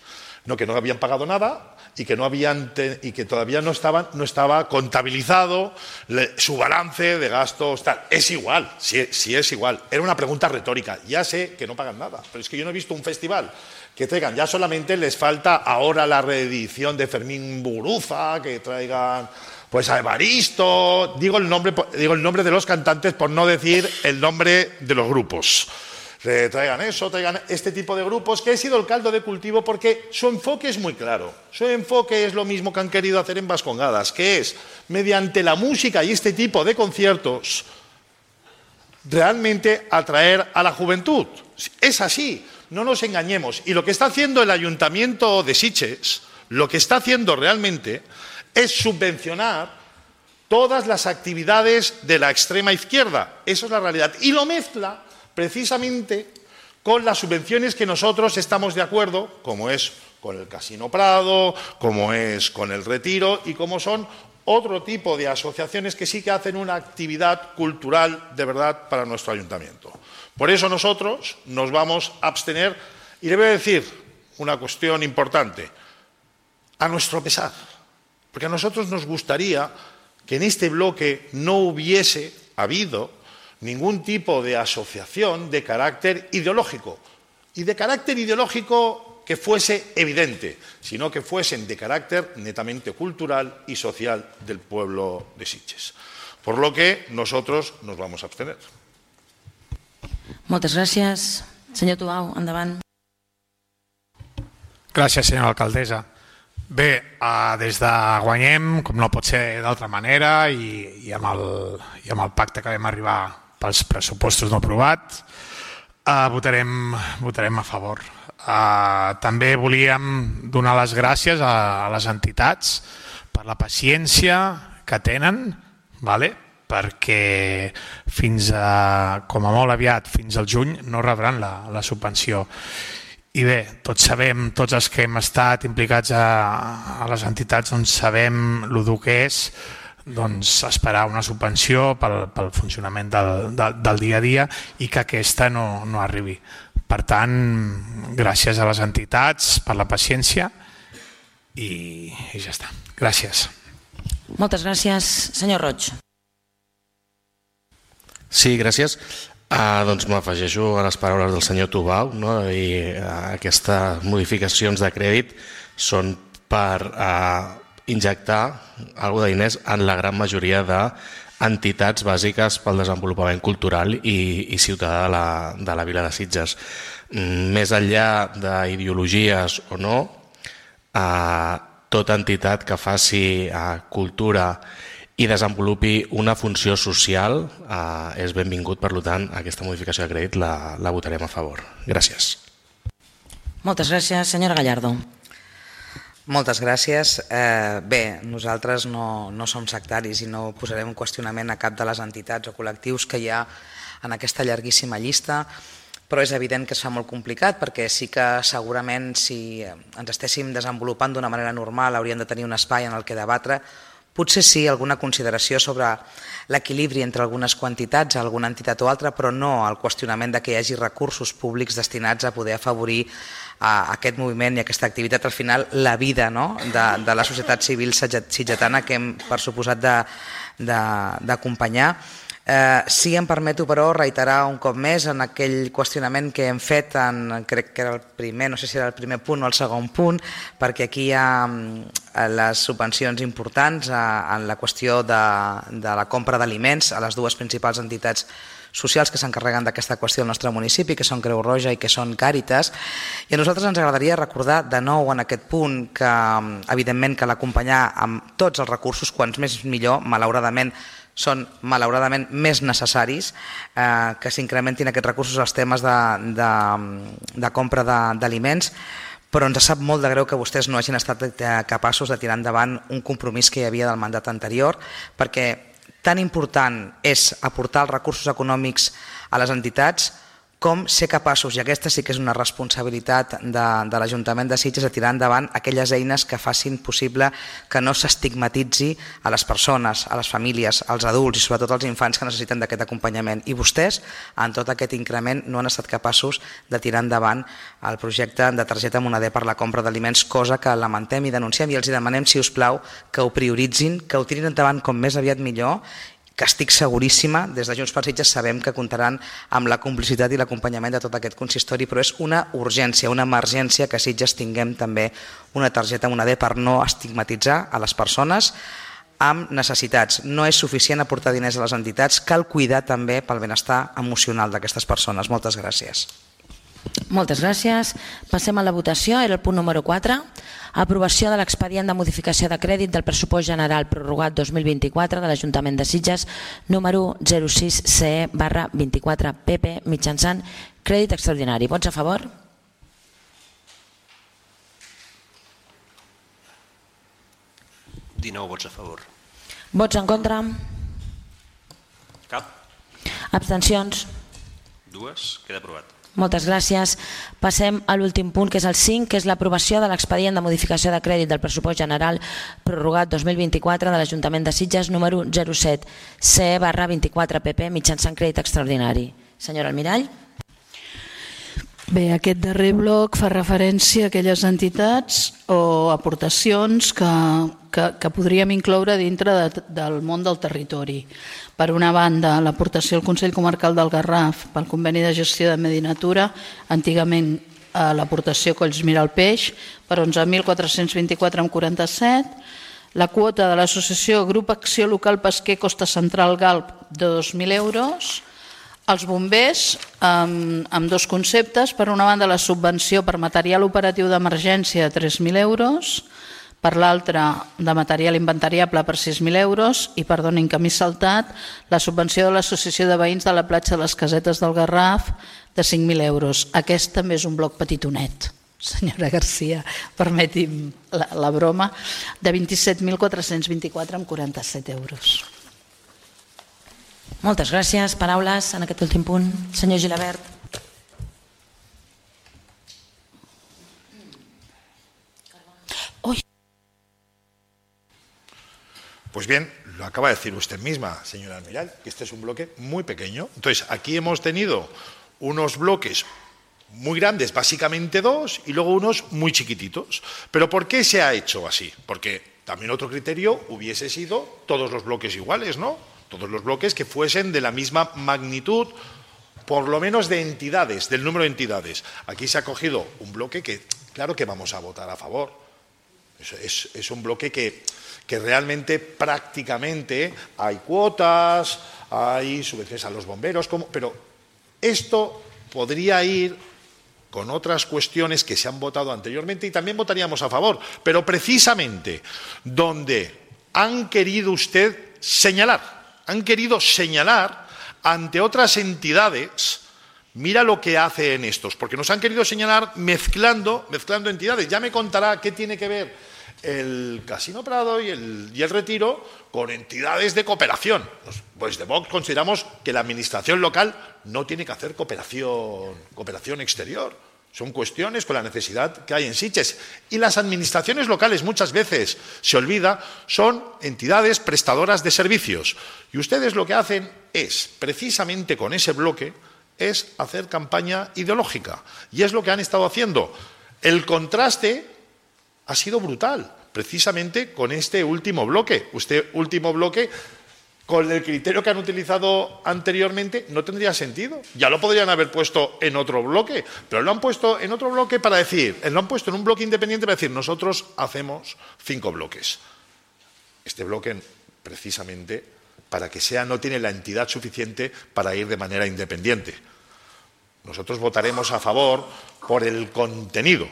No, que no habían pagado nada y que, y que todavía no estaba contabilizado su balance de gastos, tal. Es igual, sí es igual. Era una pregunta retórica. Ya sé que no pagan nada, pero es que yo no he visto un festival que traigan, ya solamente les falta ahora la reedición de Fermín Muguruza, que traigan pues a Evaristo, digo el nombre de los cantantes por no decir el nombre de los grupos. Traigan eso, traigan este tipo de grupos, que ha sido el caldo de cultivo porque su enfoque es muy claro. Su enfoque es lo mismo que han querido hacer en Vascongadas, que es, mediante la música y este tipo de conciertos, realmente atraer a la juventud. Es así, no nos engañemos. Y lo que está haciendo el Ayuntamiento de Sitges, lo que está haciendo realmente es subvencionar todas las actividades de la extrema izquierda. Eso es la realidad. Y lo mezcla precisamente con las subvenciones que nosotros estamos de acuerdo, como es con el Casino Prado, como es con el Retiro y como son otro tipo de asociaciones que sí que hacen una actividad cultural de verdad para nuestro ayuntamiento. Por eso nosotros nos vamos a abstener y le voy a decir una cuestión importante, a nuestro pesar, porque a nosotros nos gustaría que en este bloque no hubiese habido ningún tipo de asociación de carácter ideológico, y de carácter ideológico que fuese evidente, sino que fuesen de carácter netamente cultural y social del pueblo de Sitges. Por lo que nosotros nos vamos a abstener. Moltes gràcies. Senyor Tubau, endavant. Gràcies, senyora alcaldessa. Bé, des de Guanyem, com no pot ser d'altra manera, i amb el pacte que vam arribar pels pressupostos no aprovat, votarem a favor. També volíem donar les gràcies a les entitats per la paciència que tenen, perquè com a molt aviat, fins al juny, no rebran la subvenció. I bé, tots sabem, tots els que hem estat implicats a les entitats, sabem el que és esperar una subvenció pel funcionament del dia a dia i que aquesta no arribi. Per tant, gràcies a les entitats per la paciència i ja està. Gràcies. Moltes gràcies. Senyor Roig. Sí, gràcies. Doncs m'afegeixo a les paraules del senyor Tubau, i aquestes modificacions de crèdit són per injectar alguna de diners en la gran majoria d'entitats bàsiques pel desenvolupament cultural i ciutadà de la vila de Sitges. Més enllà d'ideologies o no, tota entitat que faci cultura i desenvolupi una funció social és benvingut. Per tant, aquesta modificació de crèdit la votarem a favor. Gràcies. Moltes gràcies. Senyora Gallardo. Moltes gràcies. Bé, nosaltres no som sectaris i no posarem en qüestionament a cap de les entitats o col·lectius que hi ha en aquesta llarguíssima llista, però és evident que es fa molt complicat perquè sí que segurament si ens estéssim desenvolupant d'una manera normal hauríem de tenir un espai en el que debatre. Potser sí, alguna consideració sobre l'equilibri entre algunes quantitats, alguna entitat o altra, però no el qüestionament de que hi hagi recursos públics destinats a poder afavorir aquest moviment i aquesta activitat, al final la vida de la societat civil sitgetana que hem per suposat d'acompanyar. Sí, em permeto, però, reiterar un cop més en aquell qüestionament que hem fet, crec que era el primer, no sé si era el primer punt o el segon punt, perquè aquí hi ha les subvencions importants en la qüestió de la compra d'aliments a les dues principals entitats socials que s'encarreguen d'aquesta qüestió al nostre municipi, que són Creu Roja i que són Càritas, i a nosaltres ens agradaria recordar de nou en aquest punt que, evidentment, que l'acompanyar amb tots els recursos, quants més millor, malauradament, són malauradament més necessaris que s'incrementin aquests recursos als temes de compra d'aliments, però ens sap molt de greu que vostès no hagin estat capaços de tirar endavant un compromís que hi havia del mandat anterior, perquè tan important és aportar els recursos econòmics a les entitats com ser capaços, i aquesta sí que és una responsabilitat de l'Ajuntament de Sitges, de tirar endavant aquelles eines que facin possible que no s'estigmatitzi a les persones, a les famílies, als adults i sobretot als infants que necessiten d'aquest acompanyament. I vostès, en tot aquest increment, no han estat capaços de tirar endavant el projecte de targeta moneder per la compra d'aliments, cosa que lamentem i denunciem, i els demanem, si us plau, que ho prioritzin, que ho tirin endavant com més aviat millor, que estic seguríssima, des de Junts per Sitges sabem que comptaran amb la complicitat i l'acompanyament de tot aquest consistori, però és una urgència, una emergència que a Sitges tinguem també una targeta moneder per no estigmatitzar a les persones amb necessitats. No és suficient aportar diners a les entitats, cal cuidar també pel benestar emocional d'aquestes persones. Moltes gràcies. Moltes gràcies. Passem a la votació. Era el punt número 4. Aprovació de l'expedient de modificació de crèdit del pressupost general prorrogat 2024 de l'Ajuntament de Sitges, número 06CE/24PP, mitjançant crèdit extraordinari. Vots a favor? Vots a favor. Vots en contra? Cap. Abstencions? 2. Queda aprovat. Moltes gràcies. Passem a l'últim punt, que és el 5, que és l'aprovació de l'expedient de modificació de crèdit del pressupost general prorrogat 2024 de l'Ajuntament de Sitges, número 07CE/24PP, mitjançant crèdit extraordinari. Senyora Almirall. Bé, aquest darrer bloc fa referència a aquelles entitats o aportacions que podríem incloure dintre del món del territori. Per una banda, l'aportació al Consell Comarcal del Garraf pel conveni de gestió de Medi Natura, antigament l'aportació Collsmira al Peix, per 11.424,47, la quota de l'associació Grup Acció Local Pesquer Costa Central Galp de 2.000 euros, els bombers amb dos conceptes, per una banda la subvenció per material operatiu d'emergència de 3.000 euros, per l'altra de material inventariable per 6.000 euros i, perdonin que m'he saltat, la subvenció de l'Associació de Veïns de la platja de les Casetes del Garraf de 5.000 euros. Aquest també és un bloc petitonet, senyora Garcia, permeti'm la broma, de 27.424,47 euros. Moltes gràcies. Paraules en aquest últim punt. Senyor Gilabert. Pues bien, lo acaba de decir usted misma, señora Almirall, que este es un bloque muy pequeño. Entonces, aquí hemos tenido unos bloques muy grandes, básicamente dos, y luego unos muy chiquititos. ¿Pero por qué se ha hecho así? Porque también otro criterio hubiese sido todos los bloques iguales, ¿no? Todos los bloques que fuesen de la misma magnitud, por lo menos de entidades, del número de entidades. Aquí se ha cogido un bloque que, claro que vamos a votar a favor. Es un bloque que realmente prácticamente hay cuotas, hay subvenciones a los bomberos, pero esto podría ir con otras cuestiones que se han votado anteriormente y también votaríamos a favor, pero precisamente donde han querido señalar ante otras entidades, mira lo que hacen estos, porque nos han querido señalar mezclando entidades. Ya me contará qué tiene que ver el Casino Prado y el Retiro con entidades de cooperación. Pues de Vox consideramos que la administración local no tiene que hacer cooperación exterior. Son cuestiones con la necesidad que hay en Sitges. Y las administraciones locales muchas veces, se olvida, son entidades prestadoras de servicios. Y ustedes lo que hacen es, precisamente con ese bloque, es hacer campaña ideológica. Y es lo que han estado haciendo. El contraste ha sido brutal, precisamente con este último bloque. Este último bloque, con el criterio que han utilizado anteriormente, no tendría sentido. Ya lo podrían haber puesto en otro bloque, pero lo han puesto en otro bloque para decir, lo han puesto en un bloque independiente para decir, nosotros hacemos 5 bloques. Este bloque, precisamente, para que sea, no tiene la entidad suficiente para ir de manera independiente. Nosotros votaremos a favor por el contenido,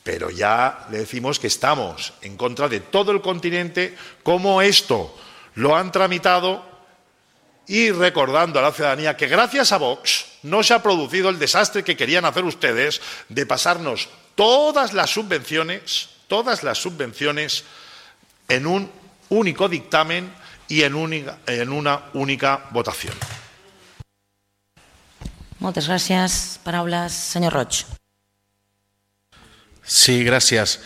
pero ya le decimos que estamos en contra de todo el continente, como esto lo han tramitado, y recordando a la ciudadanía que gracias a Vox no se ha producido el desastre que querían hacer ustedes de pasarnos todas las subvenciones en un único dictamen y en una única votación. Moltes gràcies. Paraules, senyor Roig. Sí, gràcies.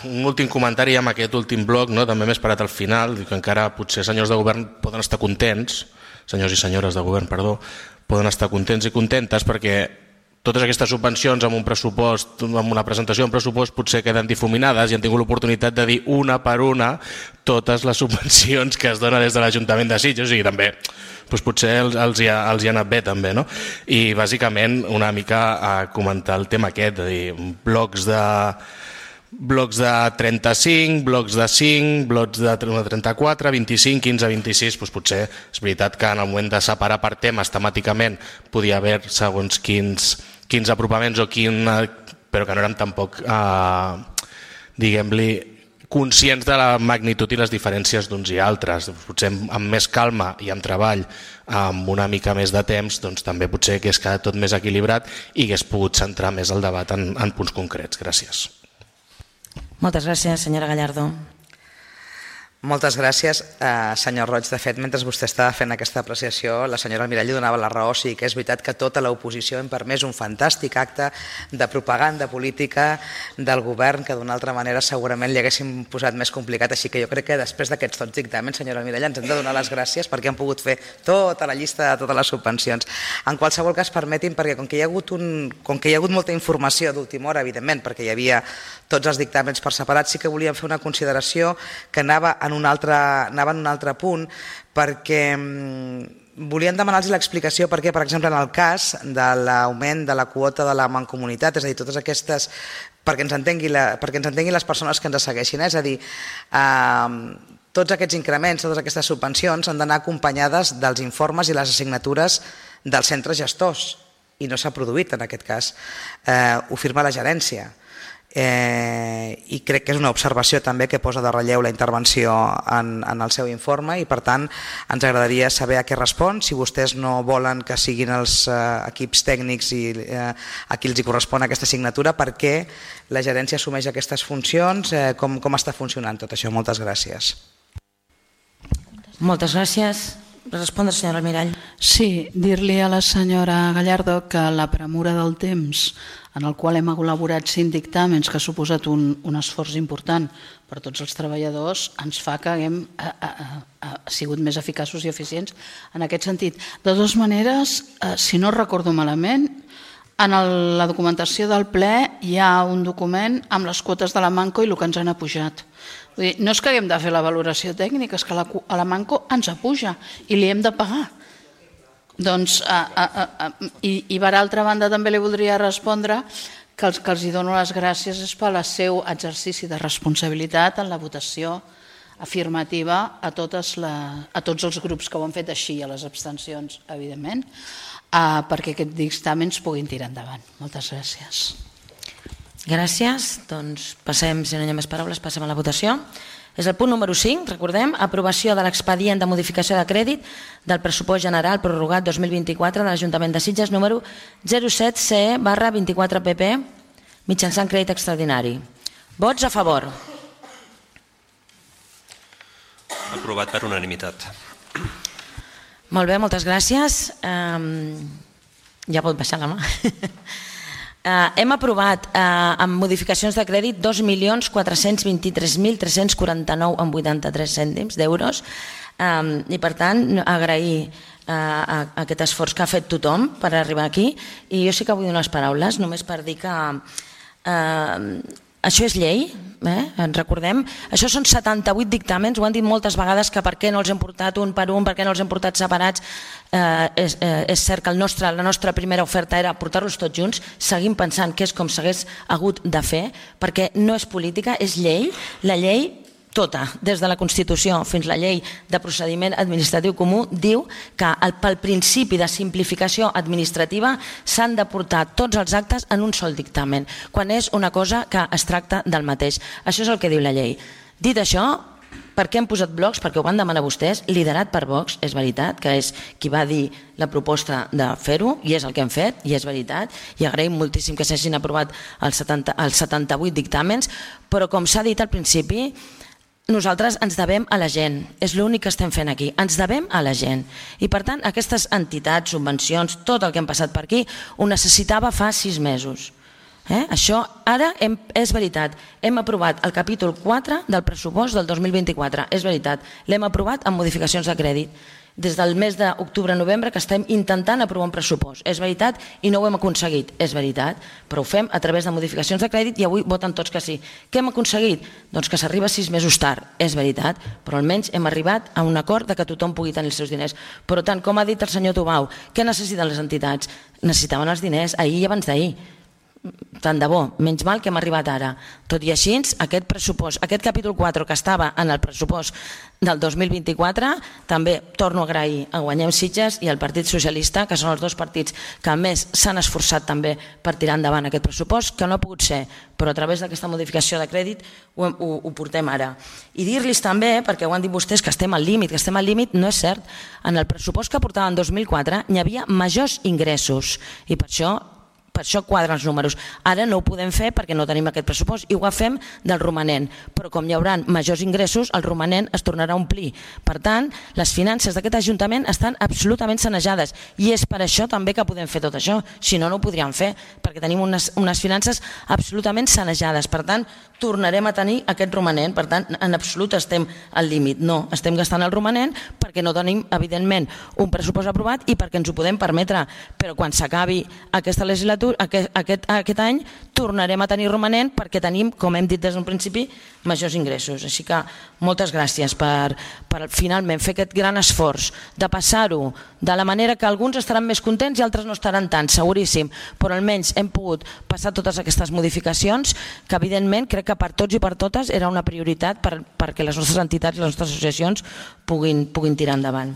Un últim comentari amb aquest últim bloc, també m'he esperat al final, que encara potser senyors de govern poden estar contents, senyors i senyores de govern, perdó, poden estar contents i contentes perquè totes aquestes subvencions amb un pressupost, amb una presentació d'un pressupost potser queden difuminades i han tingut l'oportunitat de dir una per una totes les subvencions que es donen des de l'Ajuntament de Sitges, i també potser els hi ha anat bé també, no? I bàsicament una mica comentar el tema aquest, de dir, blocs de 35, blocs de 5, blocs de 34, 25, 15, 26, doncs potser és veritat que en el moment de separar per temes temàticament podia haver segons quins apropaments però que no érem tampoc, diguem-li, conscients de la magnitud i les diferències d'uns i altres. Potser amb més calma i amb treball, amb una mica més de temps, doncs també potser hagués quedat tot més equilibrat i hagués pogut centrar més el debat en punts concrets. Gràcies. Moltes gràcies, senyora Gallardo. Moltes gràcies, senyor Roig. De fet, mentre vostè estava fent aquesta apreciació, la senyora Mirall donava la raó. Sí que és veritat que tota l'oposició hem permès un fantàstic acte de propaganda política del govern que d'una altra manera segurament li haguéssim posat més complicat. Així que jo crec que després d'aquests tots dictàmens, senyora Mirall, ens hem de donar les gràcies perquè han pogut fer tota la llista de totes les subvencions. En qualsevol cas, permetin, perquè com que hi ha hagut molta informació d'última hora, evidentment, perquè hi havia tots els dictàmens per separat, sí que volíem fer una consideració que anava en un altre punt, perquè volíem demanar-los l'explicació perquè, per exemple, en el cas de l'augment de la quota de la mancomunitat, és a dir, totes aquestes, perquè ens entenguin les persones que ens segueixin, és a dir, tots aquests increments, totes aquestes subvencions han d'anar acompanyades dels informes i les assignatures dels centres gestors, i no s'ha produït en aquest cas. Ho firma la gerència. I crec que és una observació també que posa de relleu la intervenció en el seu informe, i per tant ens agradaria saber a què respon, si vostès no volen que siguin els equips tècnics i a qui els correspon aquesta assignatura, per què la gerència assumeix aquestes funcions, com està funcionant tot això. Moltes gràcies. Moltes gràcies. Respondre, senyora Almirall. Sí, dir-li a la senyora Gallardo que la premura del temps en el qual hem elaborat 5 dictàmens, que ha suposat un esforç important per tots els treballadors, ens fa que haguem sigut més eficaços i eficients en aquest sentit. De totes maneres, si no recordo malament, en la documentació del ple hi ha un document amb les quotes de la Manco i el que ens han apujat. Vull dir, no és que haguem de fer la valoració tècnica, és que a la Manco ens apuja i li hem de pagar. Doncs, i per altra banda també li voldria respondre que els dono les gràcies és pel seu exercici de responsabilitat en la votació afirmativa a tots els grups que ho han fet així, a les abstencions, evidentment, perquè aquests dictàmens puguin tirar endavant. Moltes gràcies. Gràcies. Doncs passem, si no hi ha més paraules, passem a la votació. És el punt número 5, recordem, aprovació de l'expedient de modificació de crèdit del pressupost general prorrogat 2024 de l'Ajuntament de Sitges número 07CE/24PP mitjançant crèdit extraordinari. Vots a favor. Aprovat per unanimitat. Molt bé, moltes gràcies. Ja pot baixar la mà. Hem aprovat amb modificacions de crèdit 2.423.349,83 cèntims d'euros i per tant agrair aquest esforç que ha fet tothom per arribar aquí, i jo sí que vull donar les paraules només per dir que Això és llei, ens recordem. Això són 78 dictàmens, ho han dit moltes vegades que per què no els hem portat un per un, per què no els hem portat separats. És cert que la nostra primera oferta era portar-los tots junts, seguim pensant que és com s'hagués hagut de fer, perquè no és política, és llei. La llei tota, des de la Constitució fins a la llei de procediment administratiu comú, diu que pel principi de simplificació administrativa s'han de portar tots els actes en un sol dictamen, quan és una cosa que es tracta del mateix. Això és el que diu la llei. Dit això, per què hem posat blocs? Perquè ho van demanar vostès, liderat per Vox, és veritat, que és qui va dir la proposta de fer-ho, i és el que hem fet, i és veritat, i agraïm moltíssim que s'hagin aprovat els 78 dictàmens, però com s'ha dit al principi, nosaltres ens devem a la gent, és l'únic que estem fent aquí, ens devem a la gent. I per tant, aquestes entitats, subvencions, tot el que hem passat per aquí, ho necessitava fa 6 mesos. Això ara és veritat, hem aprovat el capítol 4 del pressupost del 2024, és veritat, l'hem aprovat amb modificacions de crèdit. Des del mes d'octubre-novembre que estem intentant aprovar un pressupost. És veritat i no ho hem aconseguit, és veritat, però ho fem a través de modificacions de crèdit i avui voten tots que sí. Què hem aconseguit? Doncs que s'arriba 6 mesos tard, és veritat, però almenys hem arribat a un acord de que tothom pugui tenir els seus diners. Per tant, com ha dit el senyor Tubau, què necessiten les entitats? Necessitaven els diners ahir i abans d'ahir. Tant de bo, menys mal que hem arribat ara. Tot i així, aquest pressupost, aquest capítol 4 que estava en el pressupost del 2024, també torno a agrair a Guanyem Sitges i al Partit Socialista, que són els dos partits que més s'han esforçat també per tirar endavant aquest pressupost, que no ha pogut ser, però a través d'aquesta modificació de crèdit ho portem ara. I dir-los també, perquè ho han dit vostès, que estem al límit, no és cert. En el pressupost que portava en 2004 hi havia majors ingressos i per això quadren els números. Ara no ho podem fer perquè no tenim aquest pressupost i ho fem del romanent, però com hi haurà majors ingressos, el romanent es tornarà a omplir. Per tant, les finances d'aquest Ajuntament estan absolutament sanejades i és per això també que podem fer tot això, si no, no ho podríem fer, perquè tenim unes finances absolutament sanejades. Per tant, tornarem a tenir aquest romanent, per tant, en absolut estem al límit. No, estem gastant el romanent perquè no tenim, evidentment, un pressupost aprovat i perquè ens ho podem permetre, però quan s'acabi aquesta legislatura, aquest any tornarem a tenir romanent perquè tenim, com hem dit des d'un principi, majors ingressos. Així que moltes gràcies per finalment fer aquest gran esforç de passar-ho de la manera que alguns estaran més contents i altres no estaran tant, seguríssim, però almenys hem pogut passar totes aquestes modificacions que evidentment crec que per tots i per totes era una prioritat perquè les nostres entitats i les nostres associacions puguin tirar endavant.